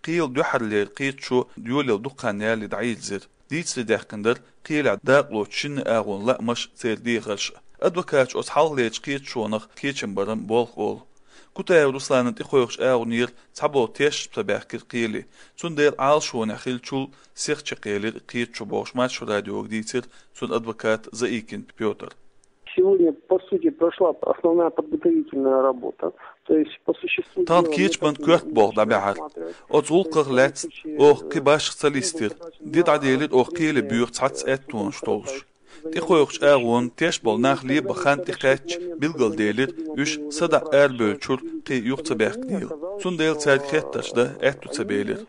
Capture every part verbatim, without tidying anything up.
Кхеле дуьххьарлера кхеташо йолаелла дукха хан ялале дӀайирзира. Дийцаре даьккхина дара кхелехь дакъалоцу шинна агӀонан лаамаш, церан дехарш а. Адвокаташа оцу хьалхалерчу кхеташонах кечам баран болх олу. Кутаев Русланан тӀекхойкхучу агӀонера цхьаболу тешаш ца баьхкира кхеле. Цундела Ӏалашонехь хиллачул сиха чекхъелира кхеташо бохуш, Маршо радиога дийцира цуьнан адвоката Заикин Пётра. Сегодня, по сути, прошла основная подготовительная работа. То есть, по существу Тахана дела, кечбан мы коьрта болх дӀабаьхьира. Оцу гӀуллакхах лаьцна оха кхин башха ца листира. Де дӀаделира оха кхеле боьха цхьацца аьттонаш толлуш. ТӀекхойкхучу агӀонан тешаш болу нах лебан хан тӀекхаьчча, билгалделира, уьш садаӀа арабевллачуьра кхин юха ца баьхкинийла. Цундела цаьрга хеттарш дан аьтто ца белира.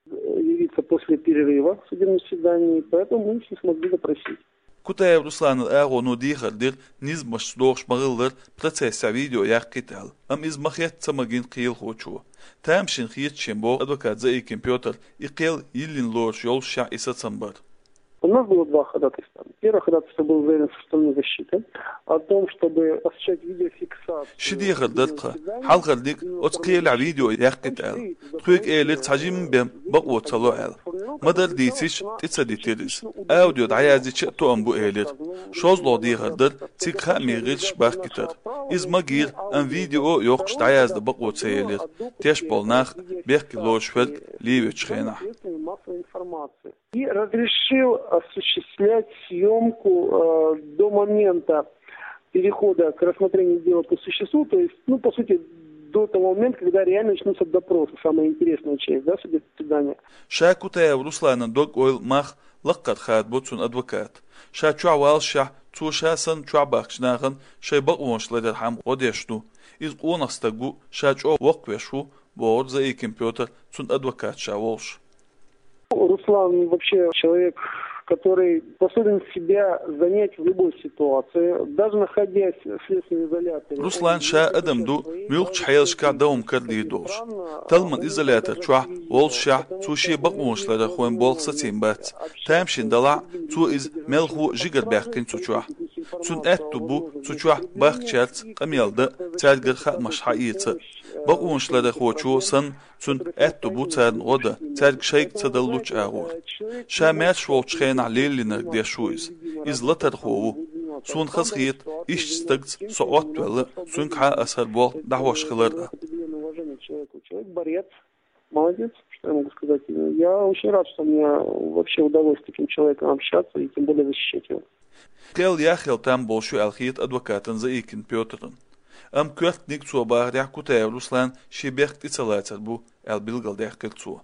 Явиться после перерыва в судебном заседании, поэтому мы их не смогли допросить. Кутаев Русланан агӀоно дехар дира, низамашца догӀуш ма-хиллара, процессехь видео яккхийта аьлла. Амма иза ма-хетта ца магийна кхелахочо. Тамашийна хета шена, боху адвоката Заикин Пётра, и кхел йиллина лоруш йолушшехь и сацам бар. У нас было два ходатайства. Первое ходатайство было заявлено со стороны защиты о том, чтобы осуществлять видеофиксацию. Ши дехар дара тхан. Хьалхарниг, оцу кхелехь видео яккхийта аьлла. Тхоьга элира, цхьа жимма бен бакъо ца ло аьлла. Ма-дарра дийцича, тӀе ца дитира иза. Аудио дӀаяздича а тоам бу, элира. ШолгӀа дехар дара цига хаамийн гӀирсаш бахкийтар. Иза магийра, амма видео а йоккхуш дӀаяздан бакъо ца елира. Тешаш болу нах бехке лоруш верг левечу хенахь. И разрешил осуществлять съёмку, э, до момента перехода к рассмотрению дела по существу, то есть, ну, по сути, до того момента, когда реально начнутся допросы, самая интересная часть, да, судебного заседания. Ша Кутаев Русланан дог-ойла, мах лаккхара хадабо цуьнан адвоката. Ша чохь валлашехь, цо ша санна чохь бахкачу нахана шайн бакъонаш ларъярхьама гӀо деш ду. Иза къонах стаг ву, ша чӀогӀа воккхавеш ву, бохура Заикин Пётра, цуьнан адвокат ша волуш. Руслан вообще человек, который способен себя занять в любой ситуации, даже находясь в следственном изоляторе. Руслан ша адам ду, муьлххачу хьелашкахь дан хӀума карадийр долуш. Талламан изолятор чохь воллушехь, цо шен бакъонаш ларъярхойн болх сацийна бац. Тамашийна делахь а, цо иза мелхо а жигара баьккхина цу чохь. Цуьнан аьтто бу цу чохь бахкачаьрца къамел дан а, цаьргара хаамаш схьаэца а. Бакъонаш ларъярхочо санна, цуьнан аьтто бу царна гӀо дан, цаьрга шайга ца даллучу агӀор. Ша маьрша волчу хенахь лелийнарг деш ву иза. Иза латархо ву. Суна хазахета, иштта стагца со Ӏоттавелла, цуьнгахьа аса хӀара болх дӀахьош хилар а. Человек борец. Молодец, что я могу сказать. Я очень рад, что у меня вообще удалось с таким человеком общаться и тем более защищать его. Кхел яхъяла там болуш ю аьлла хета адвокатана Заикин Пётрана. Амма коьртаниг, цо бахарехь, Кутаев Руслан шен бехк тӀе ца лацар бу аьлла билгалдаьккхира цо.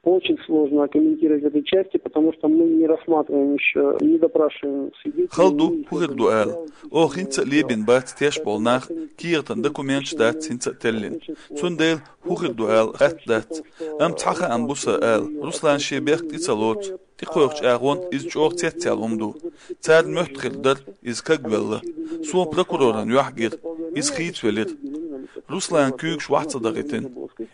Очень сложно комментировать в этой части, потому что мы не рассматриваем ещё, не допрашиваем свидетелей. Хала ду, хӀун хир ду ала. Оха хӀинца а лебина бац тешаш болу нах, кехатан документаш дац хӀинца а теллина. Цундела хӀун хир ду ала атта дац. Амма цхьа хаам бу сан ала: Руслан шен бехк тӀе ца лоцу. ТӀекхойкхучу агӀонна иза чӀогӀа цецъяьлла хӀума ду. Царна моьтту хир дара, иза кагвелла. Суна прокуроран юьхь гира. Иза хийцавелира. Русланан куьйгаш вахь ца дахийтина.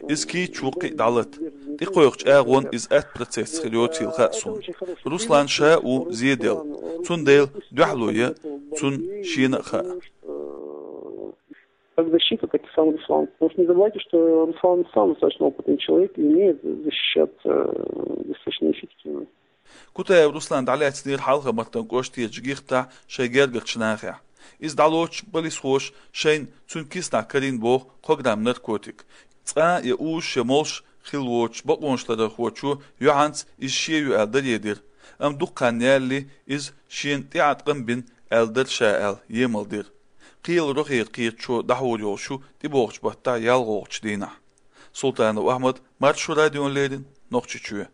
Иза кийча ву, кхин а дӀалата. ТӀекхойкхучу агӀонна иза атта процессехь хир йоцийла хаьа суна. Руслан ша а ву зеделла. Цундела дуьхьало ян цунна шена а хаьа. Как защита, так и сам Руслан. Потому что не забывайте, что Руслан сам достаточно опытный человек и умеет защищаться, э, достаточно эффективно. Кутаев Руслан дӀалаьцнера Хьалха-Мартан кӀоштарчу гихтахь шайн гергарчу нахехь. Иза дӀалоцуш полисхоша шайна цуьнан киснахь карийна боху кхо грамм наркотик. Цкъа а я узуш, я молуш хилла воцуш бакъонаш ларъярхочо юьхьанца иза шен ю аьлла даре дира. Амма дукха хан ялале иза шена тӀеӀаткъам бина аьлла дара ша аьлла, емал дира. Кхелан рогӀера кхеташо дӀахьур йолуш ю тӀебогӀучу баттахь ялхолгӀачу дийнахь. Султанов Ахьмад, Маршо радиона леррина, Нохчийчоь.